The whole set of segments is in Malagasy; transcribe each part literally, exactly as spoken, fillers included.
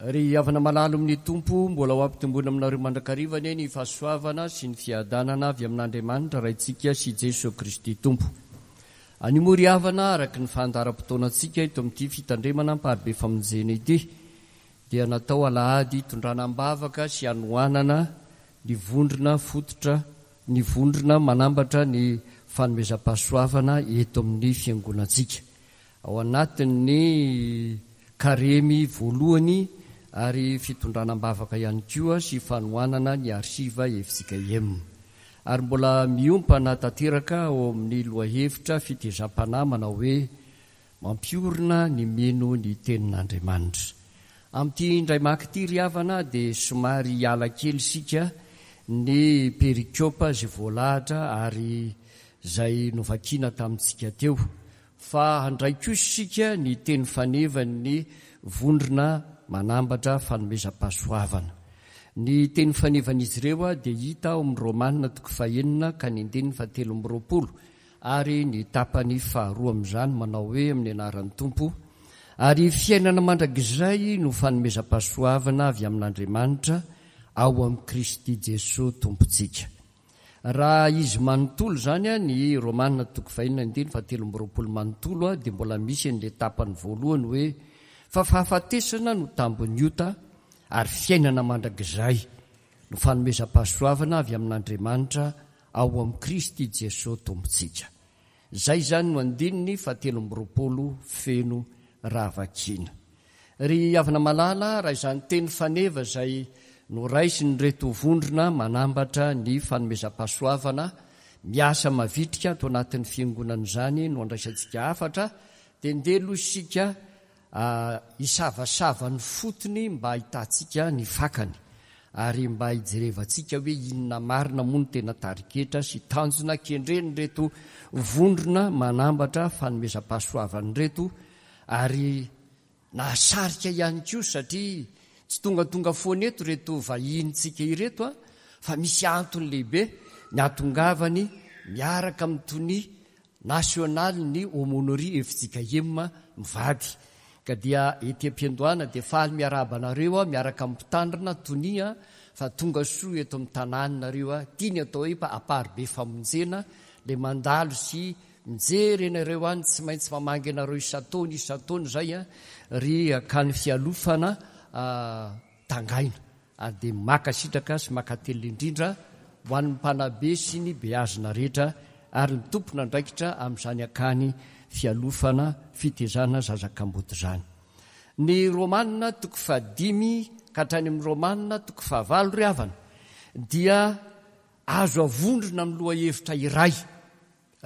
Ry havana malala amin'ny Tompo, mbola ho ampitomboina aminareo mandrakariva anie ny fahasoavana sy ny fiadanana avy amin'Andriamanitra Raintsika sy Jesoa Kristy Tompo. Anio moa ry havana, araka ny fandaharam-potoanantsika eto amin'ity fitandremana Amparibe Famonjena ity, dia natao alahady hitondrana am-bavaka sy hanohanana ny vondrona fototra, ny vondrona manambatra ny fanomezam-pahasoavana eto amin'ny fiangonantsika. Ao anatin'ny karemy voalohany ary fitondrana am-bavaka ihany koa sy fanohanana ny arsiva F J K M. Ary mbola miompana tanteraka ao amin'ny lohahevitra fitezam-panahy manao hoe mampiorina ny mino ny tenin'Andriamanitra. Amin'ity indray maka ity ry havana dia somary hiala kely isika ny perikopa izay voalahatra ary izay novakiana tamintsika teo. Fa handray kosa isika ny teny fanevan'ny vondrona manambatra fanomezam-pahasoavana. Ny teny fanevan'izy ireo dia hita ao amin'ny Romana toko fahenina ka ny andininy fahatelo amby roapolo ary ny tapany faharoa amin'izany manao hoe amin'ny anaran'ny Tompo, ary fiainana mandrakizay no fanomezam-pahasoavana avy amin'Andriamanitra ao amin'i Kristy Jesoa Tompontsika. Raha izy manontolo izany, ny Romana toko fahenina andininy fahatelo amby roapolo manontolo, dia mbola misy an'ilay tapany voalohany hoe fa fahafatesana no tambin'ny ota ary fiainana mandrakizay no fanomezam-pahasoavana avy amin'Andriamanitra ao amin'i Kristy Jesoa Tompontsika. Izay izany no andininy fahatelo amby roapolo feno raha vakiana. Ry havana malala, raha izany teny faneva izay noraisin'ireto vondrona manambatra ny fanomezam-pahasoavana miasa mavitrika ato anatin'ny fiangonana izany no andraisantsika hafatra, dia ndeha aloha isika hisavasava ny fotony mba hahitantsika ny fakany ary mba hijerevantsika hoe inona marina moa no tena tariketra sy tanjona kendren'ireto vondrona manambatra fanomezam-pahasoavan'ireto, ary nahasarika ihany koa satria tsy tongatonga foana eto ireto vahinintsika ireto, fa misy antony lehibe ny ahatongavany miaraka amin'ny tonia nasionaly ny aumônerie F J K M mivady. Ka dia ety am-piandohana dia faly miarahaba anareo aho miaraka amin'ny mpitandrina tonia fa tonga soa eto amin'ny tanànareo aho. Ity ny atao hoe Amparibe Famonjena, ilay mandalo sy mijery anareo any, tsy maintsy mamangy anareo isan-taona isan-taona izay, ry akany fialofana tangaina. Ary dia makasitraka sy makatelina indrindra ho an'ny mpanabe sy ny beazina rehetra ary ny tompon'andraikitra amin'izany akany fialofana fitezana zazakamboty izany. Ny Romana toko fahadimy ka hatrany amin'ny Romana toko fahavalo ry havana dia azo avondrona amin'ny lohahevitra iray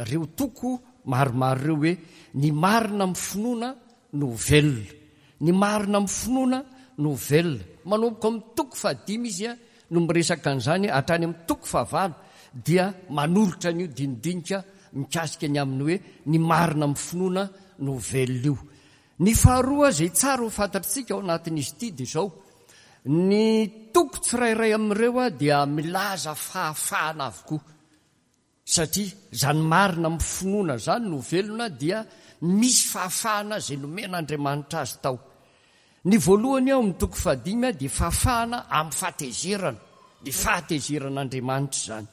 ireo toko maromaro ireo hoe ny marina amin'ny finoana no velona. Ny marina amin'ny finoana no velona. Manomboka amin'ny toko fahadimy izy no miresaka an'izany hatrany amin'ny toko fahavalo dia manolotra an'io dinidinika mikasika ny amin'ny hoe ny marina amin'ny finoana no velona io. Ny faharoa izay tsara ho fantatritsika ao anatin'izy ity dia izao, ny toko tsirairay amin'ireo dia milaza fahafahana avokoa, satria izany marina amin'ny finoana izany no velona dia misy fahafahana izay nomen'Andriamanitra azy tao. Ny voalohany ao amin'ny toko fahadimy dia fahafahana amin'ny fahatezerana, ny fahatezeran'Andriamanitra izany.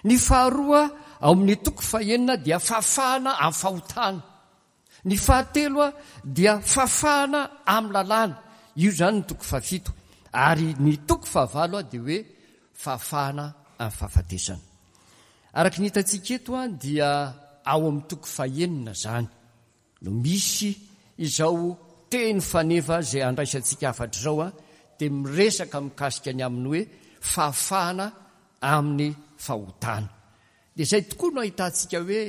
Ny faharoa ao amin'ny toko fahenina dia fahafahana amin'ny fahotana. Ny fahatelo dia fahafahana amin'ny lalàna. Io izany ny toko fahafito. Ary ny toko fahavalo dia hoe fahafahana amin'ny fahafatesana. Araka ny hitantsika eto dia ao amin'ny toko fahenina izany no misy izao teny faneva izay andraisantsika hafatra izao, dia miresaka mikasika ny amin'ny hoe fahafahana amin'ny fahotana. Dia izay tokoa no ahitantsika hoe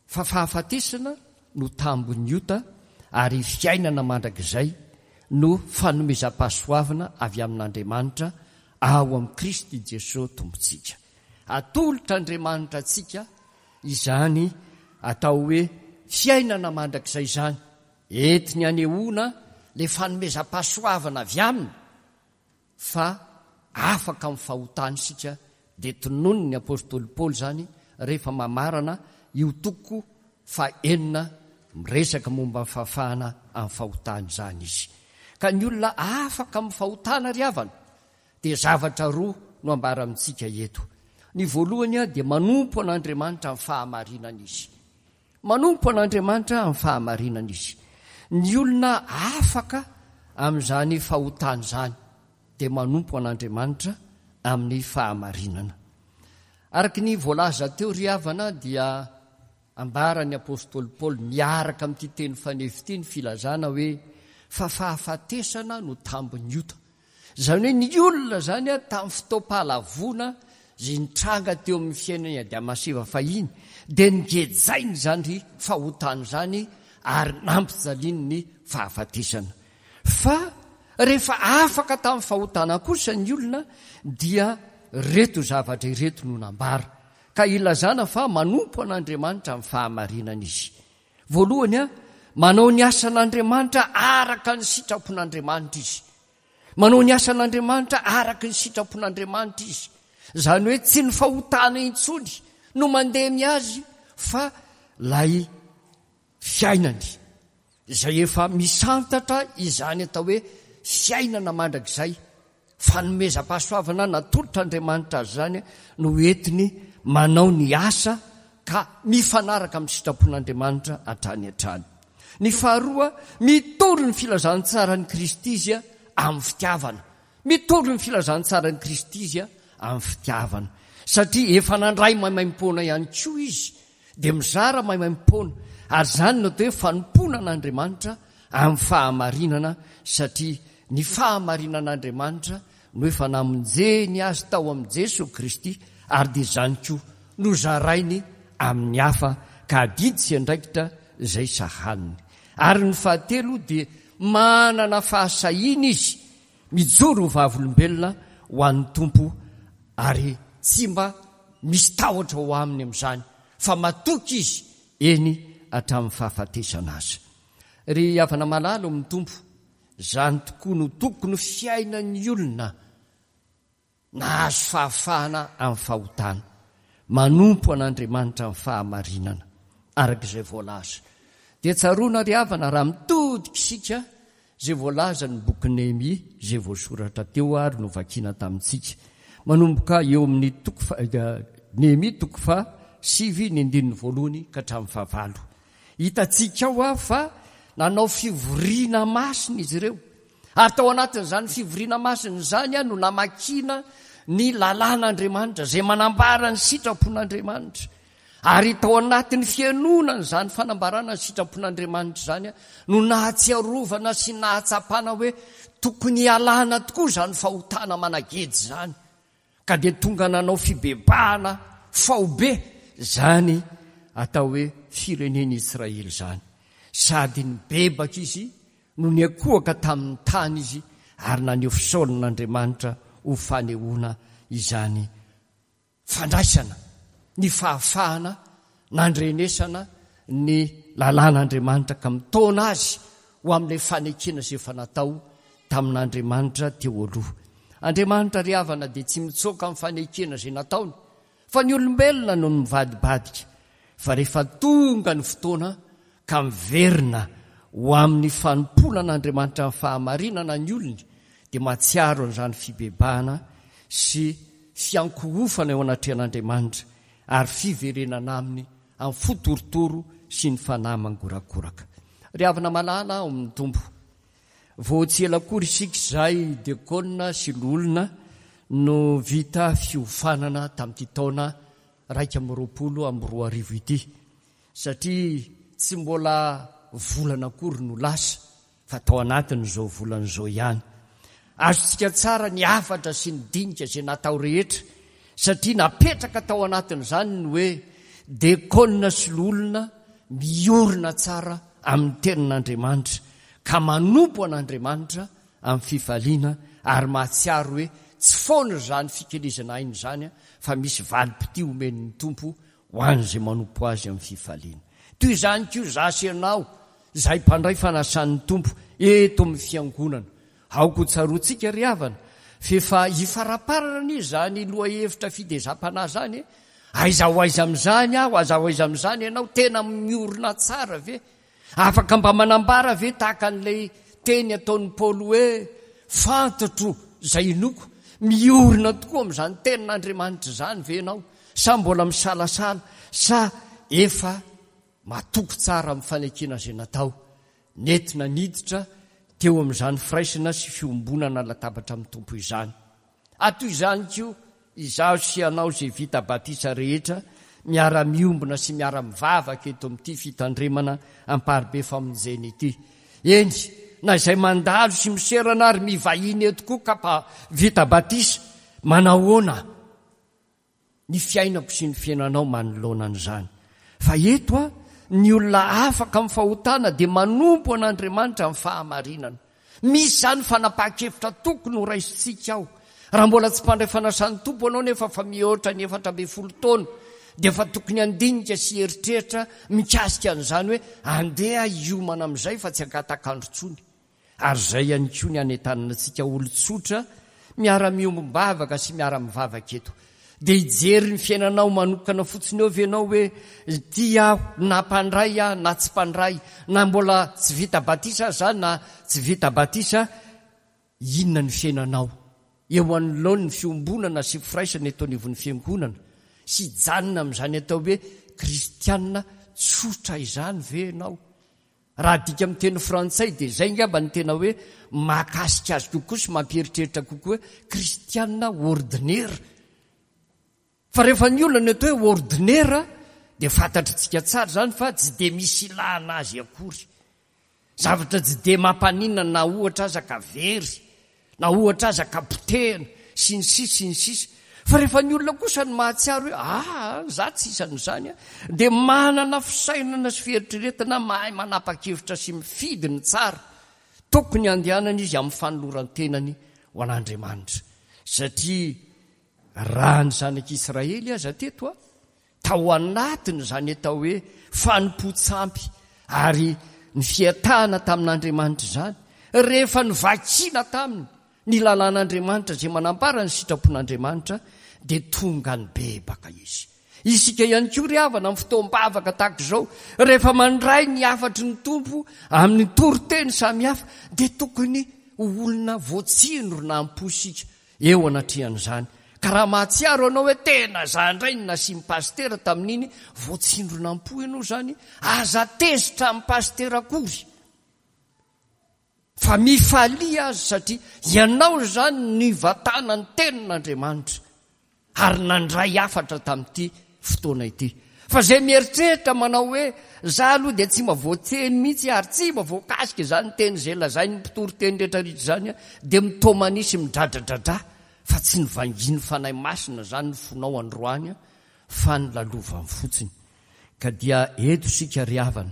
fa fahafatesana no tambin'ny ota ary fiainana mandrakizay no fanomezam-pahasoavana avy amin'Andriamanitra ao amin'i Kristy Jesoa Tompontsika. Atolotr'Andriamanitra antsika izany atao hoe fiainana mandrakizay izany, entiny anehoana ilay fanomezam-pahasoavana avy aminy fa afaka amin'ny fahotana isika. Dia tononiny ny apôstôly Paoly izany rehefa mamarana io toko fahenina miresaka momba ny fahafahana amin'ny fahotana izany izy. Ka ny olona afaka amin'ny fahotana ry havana dia zavatra roa no ambara amintsika eto. Ny voalohany dia manompo an'Andriamanitra amin'ny fahamarinana izy. Manompo an'Andriamanitra amin'ny fahamarinana izy. Ny olona afaka amin'izany fahotana izany dia manompo an'Andriamanitra amin'ny fahamarinana. Araka ny voalaza teo ry havana dia ambaran'ny apostoly Paoly miaraka amin'ity teny fanefy ity ny filazana hoe fa fahafatesana no tambin'ny ota. Izany hoe ny olona izany tamin'ny fotoam-pahalavoana izay nitranga teo amin'ny fiainan'i Adama sy Eva fahiny dia nigejainy izany fahotana izany ary nampijaliany ny fahafatesana. Fa rehefa afaka tamin'ny fahotana kosa ny olona dia reto zavatra ireto no nambara ka ilazana fa manompo an'Andriamanitra amin'ny fahamarinana izy. Voalohany, manao ny asan'Andriamanitra araka ny sitrapon'Andriamanitra izy. Manao ny asan'Andriamanitra araka ny sitrapon'Andriamanitra izy. Izany hoe tsy ny fahotana intsony no mandemy azy fa lay fiainany izay efa misantatra izany atao hoe fiainana mandrakizay, fanomezam-pahasoavana natolotr'Andriamanitra azy izany no entiny manao ny asa ka mifanaraka amin'ny sitrapon'Andriamanitra hatrany hatrany. Ny faharoa, mitory ny filazantsaran'i Kristy izy amin'ny fitiavana. Mitory ny filazantsaran'i Kristy izy amin'ny fitiavana. Satria efa nandray maimaimpoana ihany koa izy dia mizara maimaimpoana, ary izany no atao hoe fanompoana an'Andriamanitra amin'ny fahamarinana, satria ny fahamarinan'Andriamanitra no efa namonjeny azy tao amin'i Jesoa Kristy, ary dia izany koa no zarainy amin'ny hafa ka adidy sy andraikitra izay sahaniny. Ary ny fahatelo dia manana fahasahiana izy mijoro ho vavolombelona ho an'ny Tompo, ary tsy mba misy tahotra ho aminy amin'izany fa matoky izy eny hatramin'ny fahafatesana azy. Ry havana malala amin'ny Tompo, izany tokoa no tokony fiainan'ny olona nahazo fahafahana amin'ny fahotana, manompo an'Andriamanitra amin'ny fahamarinana araka izay voalaza. Dia tsaroana ry havana raha mitodika isika izay voalaza ny boky Nehemia izay voasoratra teo ary novakiana tamintsika, manomboka eo amin'ny toko Nehemia toko faha sivy ny andininy voalohany ka hatramin'ny fahavalo. Hitantsika ao ah fa nanao fivoriana masina izy ireo, ary tao anatin'izany fivoriana masina izany no namakiana ny lalàn'Andriamanitra izay manambara ny sitrapon'Andriamanitra. Ary tao anatin'ny fihainoana izany fanambarana ny sitrapon'Andriamanitra izany no nahatsiarovana sy nahatsapana hoe tokony hialana tokoa izany fahotana managejy izany, ka dia tonga nanao fibebahana faobe izany atao hoe firenen'Israely izany. Sady nibebaka izy no niakohaka tamin'ny tany izy ary naneho fisaoran'Andriamanitra ho fanehoana izany fandraisana ny fahafahana nandrenesana ny lalàn'Andriamanitra ka mitaona azy ho amin'ilay fanekena izay efa natao tamin'Andriamanitra teo aloha. Andriamanitra ry havana dia tsy mitsoaka amin'ny fanekena izay nataony, fa ny olombelona no mivadibadika. Fa rehefa tonga ny fotoana ka miverina ho amin'ny fanompoana an'Andriamanitra amin'ny fahamarinana ny olony, dia mahatsiaro an'izany fibebahana sy fiankohofana eo anatrehan'Andriamanitra ary fiverenana aminy amin'ny fo torotoro sy ny fanahy mangorakoraka. Ry havana malala ao amin'ny Tompo, vao tsy ela akory isika izay diakona sy loholona no vita fiofanana tamin'ity taona raika amby roapolo amby roa arivo ity, satria tsy mbola volana akory no lasa fa tao anatin'izao volana izao ihany. Azontsika tsara ny hafatra sy ny dinika izay natao rehetra, satria napetraka tao anatin'izany ny hoe diakona sy loholona miorina tsara amin'ny tenin'Andriamanitra ka manompo an'Andriamanitra amin'ny fifaliana ary mahatsiaro hoe tsy foana izany fikelezana aina izany fa misy valim-pitia omen'ny Tompo ho an'izay manompo azy amin'ny fifaliana. Toy izany koa izaho sy ianao izay mpandray fanasan'ny Tompo eto amin'ny fiangonana. Aoka ho tsaroantsika ry havana f'efa hifaraparana anie izany lohahevitra fidezam-panahy izany. Aiza ho aiza amin'izany aho, aiza ho aiza amin'izany ianao, tena miorina tsara ve? Afaka mba manambara ve tahaka an'ilay teny ataon'i Paoly hoe fantatro izay inoako, miorina tokoa amin'izany tenin'Andriamanitra izany ve ianao sa mbola misalasala sa efa matoky tsara amin'ny fanekena izay natao, nentina niditra teo amin'izany firaisana sy fiombonana latabatra amin'ny Tompo izany. Atoy izany koa izaho sy ianao izay vita batisa rehetra miara-miombona sy miara-mivavaka eto amin'ity fitandremana Amparibe Famonjena ity. Eny, na izay mandalo sy miserana ary mivahiny eto koa ka mpa vita batisa, manahoana ny fiainako sy ny fiainanao manoloana an'izany? Fa eto a, ny olona afaka amin'ny fahotana dia manompo an'Andriamanitra amin'ny fahamarinana. Misy izany fanapahan-kevitra tokony ho raisintsika ao. Raha mbola tsy mpandray fanasan'ny Tompo ianao nefa fa mihoatra ny efatra ambin'ny folo taona, dia efa tokony handinika sy hieritreritra mikasika an'izany hoe andeha hiomana amin'izay fa tsy angatak'andro intsony. Ary izay ihany koa ny hanentanana antsika olon-tsotra miara-miombom-bavaka sy miara-mivavaka eto. Dia hijery ny fiainanao manokana fotsiny eo ve ianao hoe ity aho na mpandray aho na tsy mpandray, na mbola tsy vita batisa aza na tsy vita batisa, inona ny fiainanao eo anoloan'ny fiombonana sy firaisana eto anivon'ny fiangonana sy hijanona amin'izany atao hoe kristiana tsotra izany ve ianao? Raha adika amin'ny teny frantsay dia izay angamba ny tena hoe mahakasika azy kokoa sy mampieritreritra kokoa hoe kristiana ordinaire. Fa rehefa ny olona ny atao hoe ordinaire dia fantatritsika tsara izany fa tsy dia misy ilana azy akory. Zavatra tsy dia mampaninona na ohatra aza ka very, na ohatra aza ka potehina, sy ny sisa sy ny sisa. Fa rehefa ny olona kosa no mahatsiaro hoe ah, za tsy isan'izany, dia manana fisainana sy fieritreretana mahay manapa-kevitra sy mifidy ny tsara tokony handehanana izy amin'ny fanoloran-tenany ho an'Andriamanitra. Satria raha ny zanak'Israely aza teto a, tao anatin'izany atao hoe fanompoan-tsampy ary ny fiatahana tamin'Andriamanitra izany, rehefa novakiana taminy ny lalàn'Andriamanitra izay manambara ny sitrapon'Andriamanitra, dia tonga nibebaka izy. Isika ihany koa ry havana amin'ny fotoam-bavaka tahaka izao, rehefa mandray ny hafatry ny Tompo amin'ny toriteny samihafa, dia tokony ho olona voatsindrona am-po isika eo anatrehan'izany. Ka raha mahatsiaro ianao hoe tena za indray no nasian'ny pasitera tamin'iny, voatsindrona am-po ianao izany, aza tezitra amin'ny pasitera akory. Fa mifalia azy satria ianao izany nivatana ny tenin'Andriamanitra ary nandray hafatra tamin'ity fotoana ity. Fa izay mieritreritra manao hoe za aloha dia tsy mba voateny mihitsy ary tsy mba voakasika izany teny izay lazain'ny mpitory teny rehetra rehetra izany dia mitomania sy midradradradra fa tsy nivangian'ny Fanahy Masina izany ny fonao androany fa ny lalovany fotsiny. Ka dia eto isika ry havana,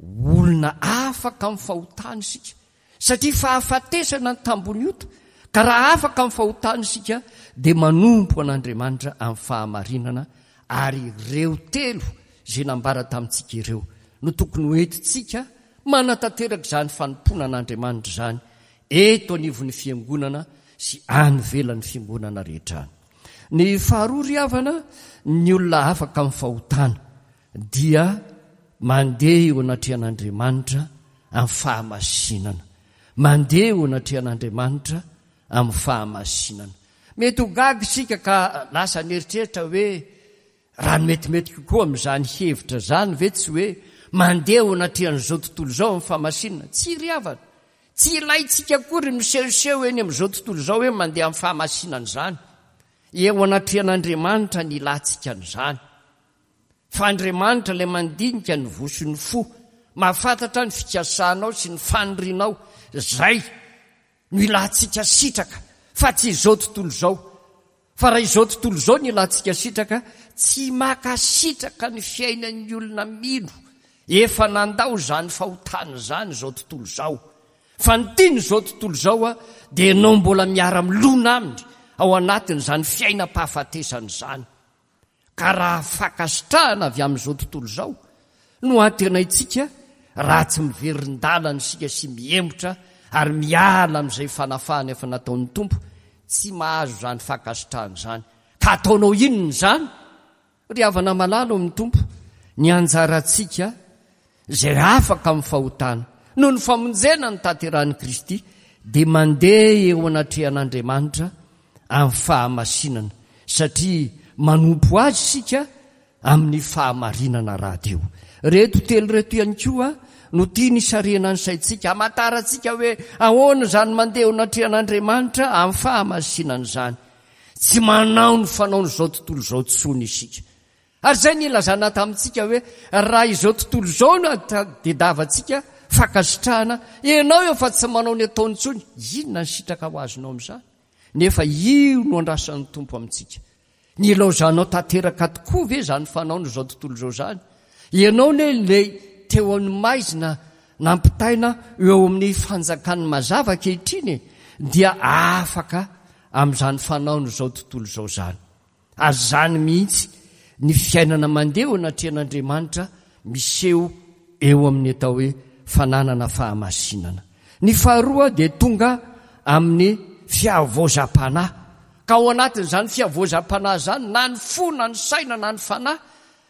olona afaka amin'ny fahotana isika satria fahafatesana ny tambony ota, ka raha afaka amin'ny fahotana isika dia manompo an'Andriamanitra amin'ny fahamarinana, ary ireo telo izay nambara tamintsika ireo no tokony ho entintsika manatanteraka izany fanompoana an'Andriamanitra izany eto anivon'ny fiangonana sy any ivelan'ny fiangonana rehetra any. Ny faharoa ry havana, ny olona afaka amin'ny fahotana dia mandeha eo anatrehan'Andriamanitra amin'ny fahamasinana. Mandeha eo anatrehan'Andriamanitra amin'ny fahamasinana. Mety ho gaga isika ka lasa nieritreritra hoe raha ny metimety kokoa amin'izany hevitra izany ve tsy hoe mandeha eo anatrehan'izao tontolo izao amin'ny fahamasinana? Tsy ry havana. Tsy ilaintsika akory misehoseho eny amin'izao tontolo izao hoe mandeha amin'ny fahamasinana izany. Eo anatrehan'Andriamanitra ny ilantsika an'izany. Fa Andriamanitra ilay mandinika ny voa sy ny fo, mahafantatra ny fikasanao sy ny fanirianao, izay no ilantsika sitraka, fa tsy izao tontolo izao. Fa raha izao tontolo izao no ilantsika sitraka, tsy makasitraka ny fiainan'ny olona mino efa nandao izany fahotana izany izao tontolo izao. Fa ny tian'izao tontolo izao dia ianao mbola miara-milona aminy ao anatin'izany fiainam-pahafatesana izany. Ka raha fankasitrahana avy amin'izao tontolo izao no antenaintsika, raha tsy miverin-dalana isika sy mihemotra ary miala amin'izay fanafahana efa nataon'ny Tompo, tsy mahazo izany fankasitrahana izany. Ka ataonao inona izany? Ry havana malala ao amin'ny Tompo, ny anjarantsika izay afaka amin'ny fahotana noho ny famonjena notanterahin'i Kristy, dia mandeha eo anatrehan'Andriamanitra amin'ny fahamasinana, satria manompo Azy isika amin'ny fahamarinana rahateo. Ireto telo ireto ihany koa no tiany hisarihana ny saintsika, hamantarantsika hoe ahoana izany mandeha eo anatrehan'Andriamanitra amin'ny fahamasinana izany. Tsy manao ny fanaon'izao tontolo izao intsony isika. Ary izay no nilazana tamintsika hoe raha izao tontolo izao no tadiavantsika fankasitrahana, ianao efa tsy manao ny ataony intsony, inona ny sitraka ho azonao amin'izany? Nefa io no andrasan'ny Tompo amintsika. Nilaozanao tanteraka tokoa ve izany fanaon'izao tontolo izao izany? Ianao anie ilay teo amin'ny maizina nampitaina eo amin'ny fanjakan'ny mazava ankehitriny e, dia afaka amin'izany fanaon'izao tontolo izao izany. Ary izany mihitsy ny fiainana mandeha eo anatrehan'Andriamanitra miseho eo amin'ny atao hoe fananana fahamasinana. Ny faharoa dia tonga amin'ny fihavaozam-panahy. Ka ao anatin'izany fihavaozam-panahy izany, na ny fo, na ny saina, na ny fanahy,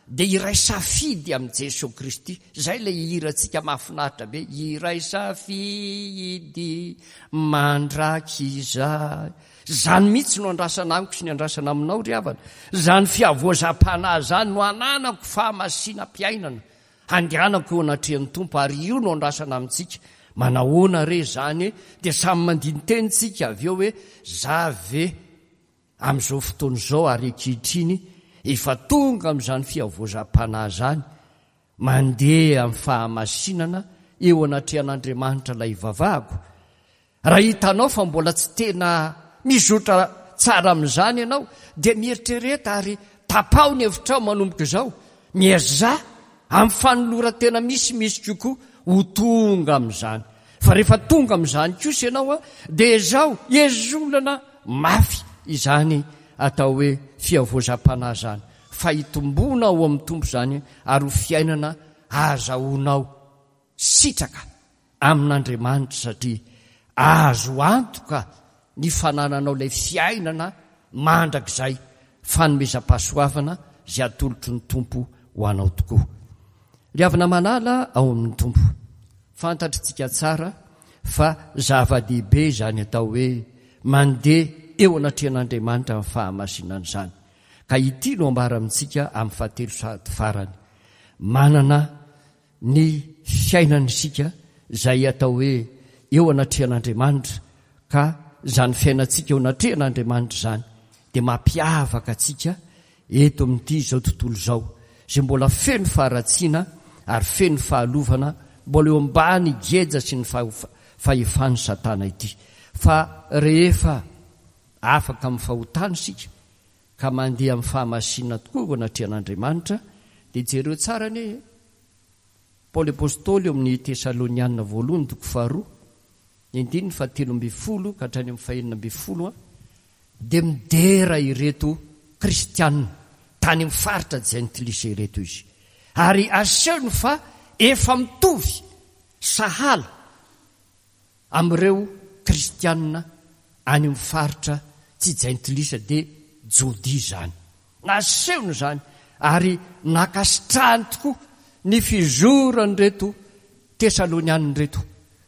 dia iray safidy amin'i Jesoa Kristy. Izay ilay hirantsika mahafinaritra be, iray safidy mandrakizay. Izany mihitsy no andrasana amiko sy ny andrasana aminao ry havana. Izany fihavaozam-panahy izany no ananako fahamasinam-piainana, handehanako eo anatrehan'ny Tompo, ary io no andrasana amintsika. Manahoana re izany? Dia samy mandini-teny tsika avy eo hoe, za ve amin'izao fotoana izao ary ankehitriny efa tonga amin'izany fihavaozam-panahy izany, mandeha amin'ny fahamasinana eo anatrehan'Andriamanitra ilay ivavahako? Raha hitanao fa mbola tsy tena mizotra tsara amin'izany ianao, dia mieritrereta ary tapaho ny hevitrao manomboka izao. Miezaha amin'ny fanoloran-tena misimisy kokoa ho tonga amin'izany. Fa rehefa tonga amin'izany kosa ianao, dia ezaho ezolana mafy izany atao hoe fihavaozam-panahy izany, fa hitomboana ao amin'ny Tompo izany ary ho fiainana ahazahoanao sitraka amin'Andriamanitra, satria azo antoka ny fanananao ilay fiainana mandrakizay, fanomezam-pahasoavana izay atolotry ny Tompo ho anao tokoa. Ry havana malala ao amin'ny Tompo, fantatritsika tsara fa zava-dehibe izany atao hoe mandeha eo anatrehan'Andriamanitra amin'ny fahamasinana izany. Ka ity no ambara amintsika amin'ny fahatelo sady farany. Manana ny fiainana isika izay atao hoe eo anatrehan'Andriamanitra, ka izany fiainantsika eo anatrehan'Andriamanitra izany dia mampiavaka antsika eto amin'ity izao tontolo izao, izay mbola feno faharatsiana ary feno fahalovana, mbola eo ambany geja sy ny fahefan'i Satana ity. Fa rehefa afaka amin'ny fahotana isika ka mandeha amin'ny fahamasinana tokoa eo anatrehan'Andriamanitra, dia jereo tsara anie Paoly Apostoly eo amin'ny Tesalonianina voalohany toko faharoa, ny andininy fahatelo ambin'ny folo ka hatrany amin'ny fahenina ambin'ny folo, dia midera ireto kristianina tany amin'ny faritra jentilisa ireto izy, ary asehony fa efa mitovy sahala amin'ireo kristianina any amin'ny faritra tsy jentilisa, dia Jodia izany. Nasehony izany ary nankasitrahany tokoa ny fizoran'ireto Tesalonianina ireto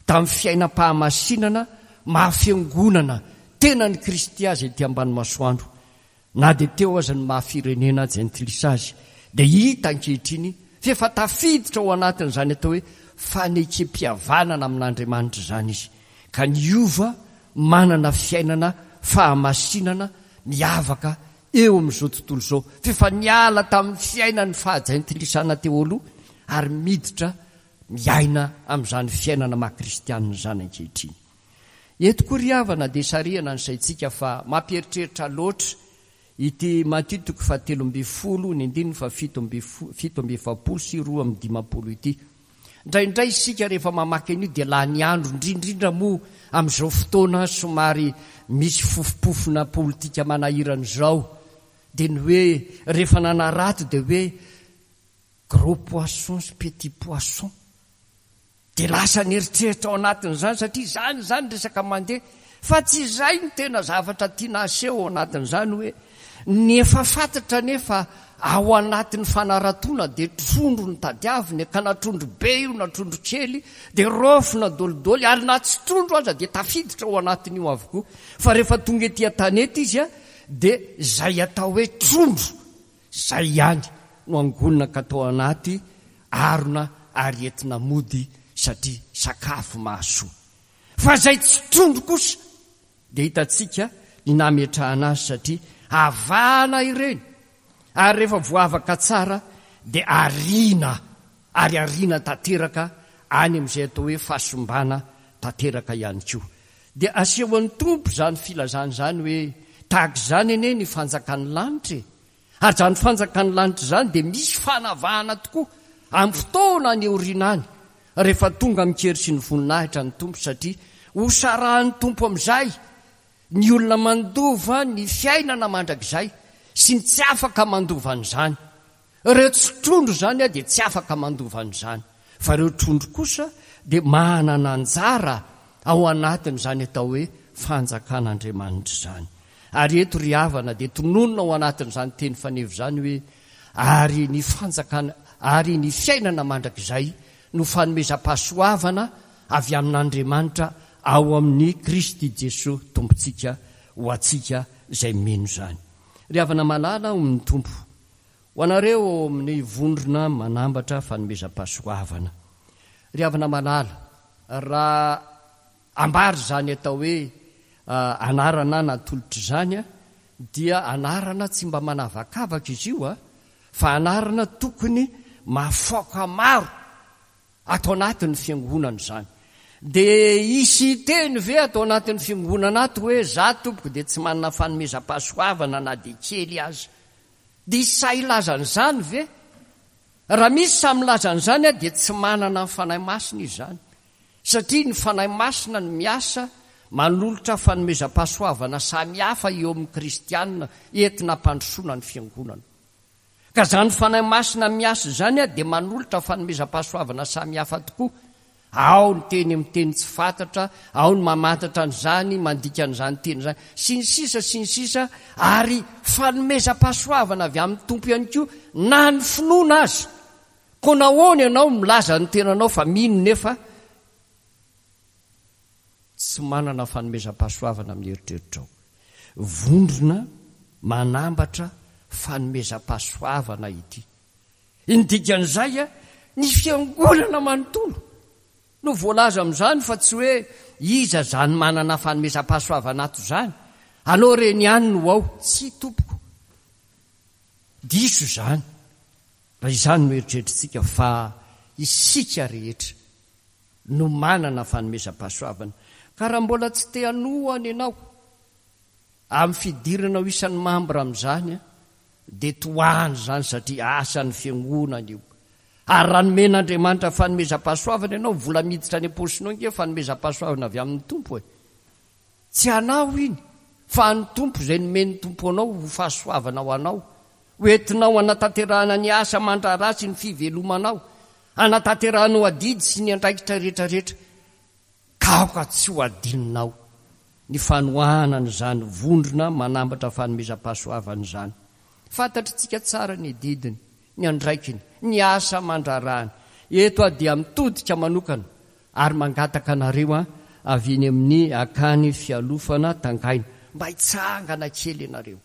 tamin'ny fiainam-pahamasinana maha fiangonana tenan'i Kristy azy ety ambany masoandro. Na dia teo aza ny maha firenena jentilisa azy, dia hita ankehitriny fa efa tafiditra ao anatin'izany atao hoe fanekem-pihavanana amin'Andriamanitra izany izy, ka niova manana fiainana fahamasinana miavaka eo amin'izao tontolo izao, fa efa niala tamin'ny fiainan'ny fahajentilisana teo aloha ary miditra miaina amin'izany fiainana maha kristianina izany ankehitriny. Eto koa ry havana dia sarihana ny saintsika fa mampieritreritra loatra ity Matio toko fahatelo ambin'ny folo ny andininy fahafito amby fito amby efapolo sy roa amby dimampolo ity. Indraindray isika rehefa mamaky an'io dia lany andro, indrindrindra moa amin'izao fotoana somary misy fofompofona politika manahirana izao, dia ny hoe rehefa nanarato dia hoe gros poisson sy petit poisson, dia lasa nieritreritra ao anatin'izany, satria izany izany resaka mandeha, fa tsy izay no tena zavatra tiana aseho ao anatin'izany, hoe ny efa fantatra nefa ao anatin'ny fanaratoana dia trondro no tadiaviny, ka na trondro be io na trondro kely dia raofina dolidoly, ary na tsy trondro aza dia tafiditra ao anatin'io avokoa. Fa rehefa tonga ety an-tanety izy dia izay atao hoe trondro izay ihany no angonina ka atao anaty arona ary entina mody satria sakafo mahasoa. Fa izay tsy trondro kosa dia hitantsika ny nametrahana azy satria avahana ireny, ary rehefa voavaka tsara dia ariana, ary ariana tanteraka any amin'izay atao hoe fahasimbana tanteraka ihany koa. Dia asehon'ny Tompo izany filazana izany hoe tahaka izany anie ny fanjakan'ny lanitra e. Ary izany fanjakan'ny lanitra izany dia misy fanavahana tokoa amin'ny fotoana any aoriana any, rehefa tonga amin-kery sy ny voninahitra ny Tompo, satria hosarahan'ny Tompo amin'izay ny olona mandova ny fiainana mandrakizay sy ny tsy afaka mandova an'izany. Ireo tsy trondro izany dia tsy afaka mandova an'izany, fa ireo trondro kosa dia manana anjara ao anatin'izany atao hoe fanjakan'Andriamanitra izany. Ary eto ry havana dia tononina ao anatin'izany teny faneva izany hoe ary ny fanjakana, ary ny fiainana mandrakizay no fanomezam-pahasoavana avy amin'Andriamanitra ao amin'ny Kristy Jesoa Tompontsika ho antsika izay mino izany. Ry havana malala ao amin'ny Tompo, ho anareo ao amin'ny vondrona manambatra fanomezam-pahasoavana. Ry havana malala, raha ambara izany atao hoe anarana natolotra izany dia anarana tsy mba manavakavaka izy io, fa anarana tokony mahafaoka maro ato anatin'ny fiangonana izany. Dia hisy teny ve ato anatin'ny fiangonana ato hoe za tompoko dia tsy manana fanomezam-pahasoavana na dia kely aza? Dia hisy sahy hilaza an'izany ve? Raha misy sahy milaza an'izany dia tsy manana ny Fanahy Masina izy izany, satria ny Fanahy Masina no miasa manolotra fanomezam-pahasoavana samihafa eo amin'ny kristianina entina hampandrosoana ny fiangonana. Ka izany Fanahy Masina miasa izany dia manolotra fanomezam-pahasoavana samihafa tokoa. Ao ny teny amin'ny teny tsy fantatra, ao ny mamantatra an'izany, mandika an'izany teny izany, sy ny sisa sy ny sisa, ary fanomezam-pahasoavana avy amin'ny Tompo ihany koa na ny finoana aza. Koa nahoana ianao milaza ny tenanao fa mino nefa tsy manana fanomezam-pahasoavana amin'ny eritreritrao? Vondrona manambatra fanomezam-pahasoavana ity. Ny dikan'izay, ny fiangonana manontolo no voalaza amin'izany, fa tsy hoe iza izany manana fanomezam-pahasoavana ato izany, aleo ireny ihany no ao. Tsy tompoko, diso izany raha izany no eritreritritsika, fa isika rehetra no manana fanomezam-pahasoavana. Ka raha mbola tsy te hanohana ianao amin'ny fidirana ho isan'ny mambra amin'izany, dia tohana izany satria asan'ny fiangonana io. Ary raha nomen'Andriamanitra fanomezam-pahasoavana ianao, vola miditra any am-paosinao ange fanomezam-pahasoavana avy amin'ny Tompo e. Tsy anao iny, fa an'ny Tompo izay nomen'ny Tompo anao ho fahasoavana ho anao, ho entinao hanatanterahana ny asa aman-draharaha sy ny fivelomanao, hanatanterahanao adidy sy ny andraikitra rehetrarehetra. Ka aoka tsy ho adinonao ny fanohanana izany vondrona manambatra fanomezam-pahasoavana izany. Fantatritsika tsara ny adidiny, ny andraikiny, ny asa aman-draharahany. Eto aho dia mitodika manokana ary mangataka anareo avy eny amin'ny akany fialofana Tangaina mba hitsangana kely ianareo.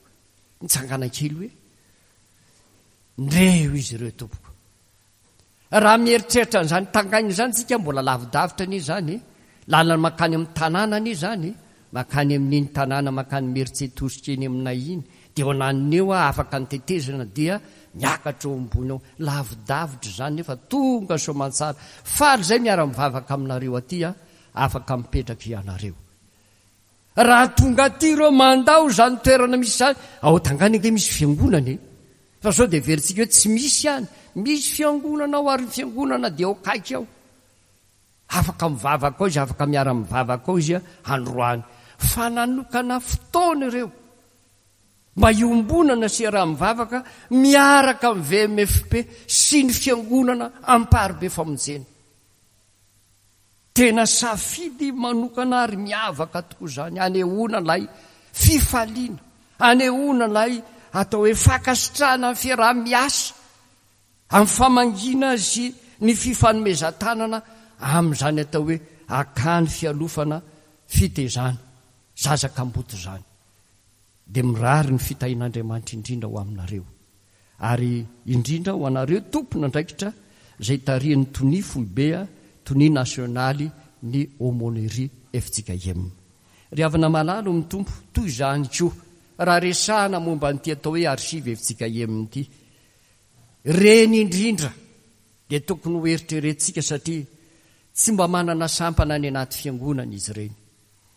Mitsangana kely hoe ndreo izy ireo tompoko. Raha mieritreritra an'izany Tangaina izany tsika, mbola lavidavitra anie izany, lalana mankany amin'ny tanàna anie izany, mankany amin'iny tanàna mankany Meritsetosika eny aminay iny, dia eo ananiny eo afaka nitetezana dia miakatra eo ambony eo. Lavidavitra izany nefa tonga soamantsara. Faly izay miara-mivavaka aminareo aty, afaka mipetraka ianareo. Raha tonga aty ireo mandao izany toerana misy izany, ao Tangaina ange misy fiangonana e. Fa sao dia heverintsika hoe tsy misy ihany. Misy fiangonana ao, ary ny fiangonana dia ao akaiky ao. Afaka mivavaka ao izy, afaka miara-mivavaka ao izy androany. Fa nanokana fotoana ireo mba hiombonana sy iaraha-mivavaka miaraka amin'ny V M F P sy ny fiangonana Amparibe Famonjena. Tena safidy manokana ary miavaka tokoa izany, anehoana ilay fifaliana, anehoana ilay atao hoe fankasitrahana ny fiaraha-miasa amin'ny famangiana sy ny fifanomezan-tanana amin'izany atao hoe akany fialofana fitezana zaza kamboty izany. Dia mirary ny fitahian'Andriamanitra indrindra ho aminareo, ary indrindra ho anareo tompon'andraikitra izay tarihin'ny tonia foibe, tonia nasionaly ny aumônerie F J K M. Ry havana malala amin'ny Tompo, toy izany koa raha resahana momba an'ity atao hoe archive F J K M ity, reny indrindra dia tokony ho eritreretintsika satria tsy mba manana sampana any anaty fiangonana izy ireny.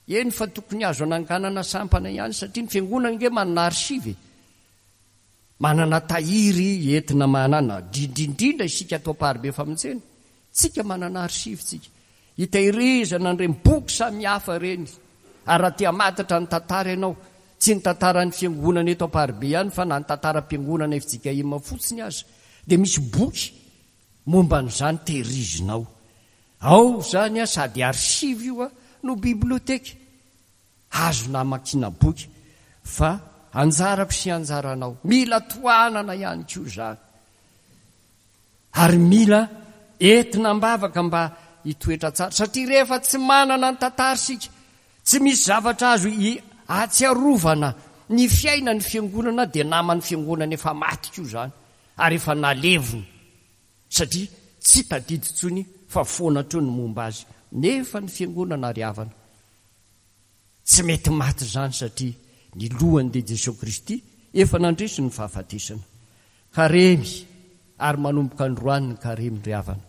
Eny fa tokony azo ananganana sampana ihany satria ny fiangonana nge manana archive, manana tahiry entina manana, indrindrindrindra isika atao Amparibe Famonjena, tsika manana archive tsika. Hitahirizana an'ireny boky samihafa ireny. Ary raha te hamantatra ny tantara ianao, tsy ny tantaran'ny fiangonana eto Amparibe ihany fa na ny tantaram-piangonana F J K M fotsiny aza, dia misy boky momba an'izany tehirizinao. Ao izany sady archive io no biblioteka, azo namakiana boky, fa anjarako sy anjaranao. Mila tohanana ihany koa izany. Ary mila entina am-bavaka mba hitoetra tsara, satria rehefa tsy manana ny tantara isika, tsy misy zavatra azo ahatsiarovana ny fiainan'ny fiangonana, dia naman'ny fiangonana efa maty koa izany, ary efa nalevina, satria tsy tadidy intsony fa foana hatreo ny momba azy. Nefa ny fiangonana ary havana tsy mety maty izany, satria ny lohany dia Jesoa Kristy efa nandresy ny fahafatesana. Karemy, ary manomboka androany ny karemy ry havana,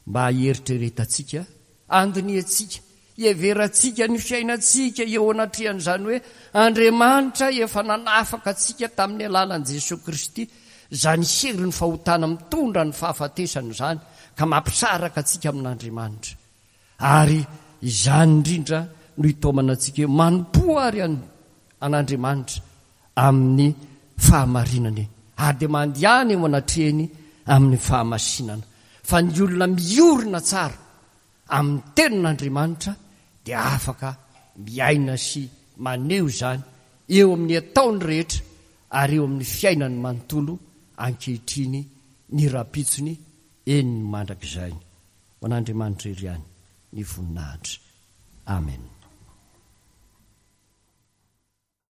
mba hieritreretantsika, andinihantsika, hiheverantsika ny fiainantsika eo anatrehan'izany hoe Andriamanitra efa nanafaka antsika tamin'ny alalan'i Jesoa Kristy, izany herin'ny fahotana mitondra ny fahafatesana izany ka mampisaraka antsika amin'Andriamanitra. Ary izany indrindra no hitaomana antsika hoe manompoa ary an'Andriamanitra amin'ny fahamarinany, ary dia mandehana eo anatrehany amin'ny fahamasinana. Fa ny olona miorina tsara amin'ny tenin'Andriamanitra dia afaka miaina sy maneho izany eo amin'ny ataony rehetra ary eo amin'ny fiainany manontolo ankehitriny, ny rahampitsony, eny ny mandrakizay. Ho an'Andriamanitra iry ihany ny voninahitra. Amen.